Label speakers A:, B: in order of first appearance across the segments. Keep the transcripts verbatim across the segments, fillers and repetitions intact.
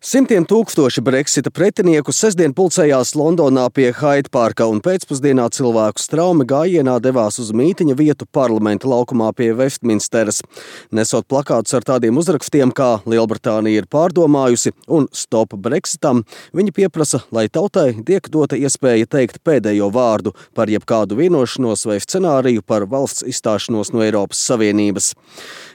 A: Simtiem tūkstoši Brexita pretinieku sestdien pulcējās Londonā pie Hyde Parka un pēcpusdienā cilvēku straumi gājienā devās uz mītiņa vietu parlamenta laukumā pie Vestminsteras. Nesot plakātus ar tādiem uzrakstiem, kā Lielbritānija ir pārdomājusi un Stop Brexitam, viņi pieprasa, lai tautai tiek dota iespēja teikt pēdējo vārdu par jebkādu vienošanos vai scenāriju par valsts izstāšanos no Eiropas Savienības.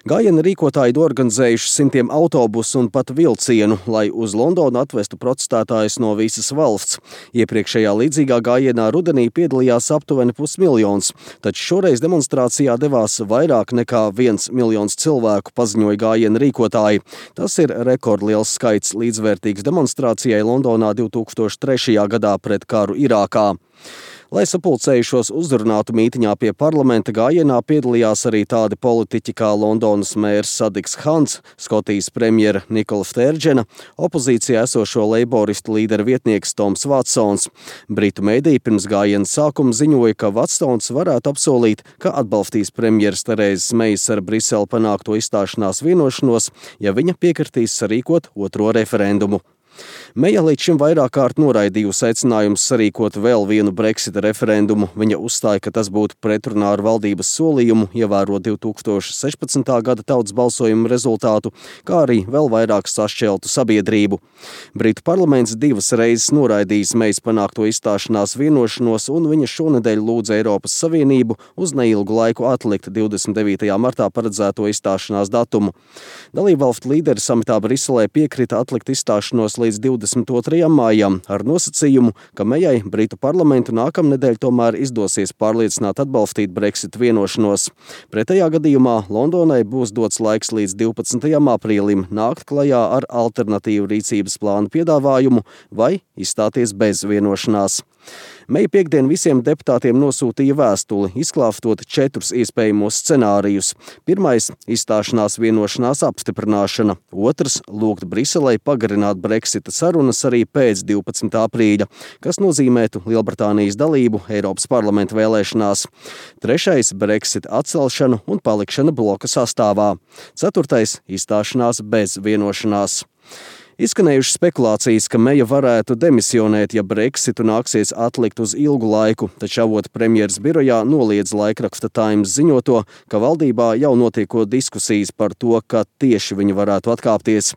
A: Gājiena rīkotāji organizējuši simtiem autobusu un pat vilcienu, lai uz Londonu atvestu protestētājus no visas valsts. Iepriekšējā līdzīgā gājienā rudenī piedalījās aptuveni pusmiljons, taču šoreiz demonstrācijā devās vairāk nekā viens miljons cilvēku, paziņoja gājiena rīkotāji. Tas ir rekordliels skaits līdzvērtīgs demonstrācijai Londonā divtūkstoš trešajā gadā pret karu Irākā. Lai sapulcējušos uzrunātu mītiņā pie parlamenta, gājienā piedalījās arī tādi politiķi kā Londonas mērs Sadiks Khans, Skotijas premjera Nikola Stērdžena, opozīcijā esošo leiboristu līderu vietnieks Toms Vatsons. Britu mediji pirms gājiena sākuma ziņoja, ka Vatsons varētu apsolīt, ka atbalstīs premjeras Terēzes Meijas ar Briseli panākto izstāšanās vienošanos, ja viņa piekritīs sarīkot otro referendumu. Meija līdz šim vairāk kārt noraidījusi aicinājumus sarīkot vēl vienu Brexita referendumu. Viņa uzstāja, ka tas būtu pretrunā ar valdības solījumu ievērot divtūkstoš sešpadsmitā gada tautas balsojuma rezultātu, kā arī vēl vairāk sašķeltu sabiedrību. Britu parlaments divas reizes noraidījis Meijas panākto izstāšanās vienošanos, un viņa šonedēļ lūdza Eiropas Savienību uz neilgu laiku atlikt divdesmit devītajā martā paredzēto izstāšanās datumu. Dalībvalstu līderi samitā Briselē piekrita atlikt izstāšanos līdz divdesmit otrajam maijam ar nosacījumu, ka Meijai Britu parlamentu nākamnedēļ tomēr izdosies pārliecināt atbalstīt Brexit vienošanos. Pretējā gadījumā Londonai būs dots laiks līdz divpadsmitajam aprīlim nākt klajā ar alternatīvu rīcības plānu piedāvājumu vai izstāties bez vienošanās. Meija piekdien visiem deputātiem nosūtīja vēstuli, izklāstot četrus iespējamos scenārijus. Pirmais – izstāšanās vienošanās apstiprināšana. Otrs – lūgt Briselei pagarināt Brexita sarunas arī pēc divpadsmitā aprīļa, kas nozīmētu Lielbritānijas dalību Eiropas parlamenta vēlēšanās. Trešais – Brexita atcelšana un palikšana bloka sastāvā. Ceturtais – izstāšanās bez vienošanās. Izskanējušas spekulācijas, ka Meija varētu demisionēt, ja Brexitu nāksies atlikt uz ilgu laiku, taču avota premjeras birojā noliedz laikraksta Times ziņoto, ka valdībā jau notiekot diskusijas par to, ka tieši viņi varētu atkāpties.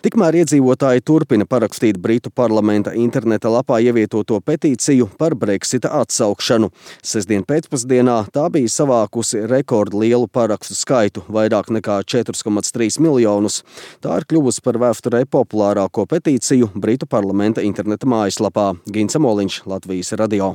A: Tikmēr iedzīvotāji turpina parakstīt Britu parlamenta interneta lapā ievietoto petīciju par Brexita atsaukšanu. Sestdien pēcpusdienā tā bija savākusi rekordlielu parakstu skaitu, vairāk nekā četri komats trīs miljonus. Tā ir kļuvusi par vēsturē populārāko petīciju Britu parlamenta interneta mājaslapā. Gins Amoliņš, Latvijas radio.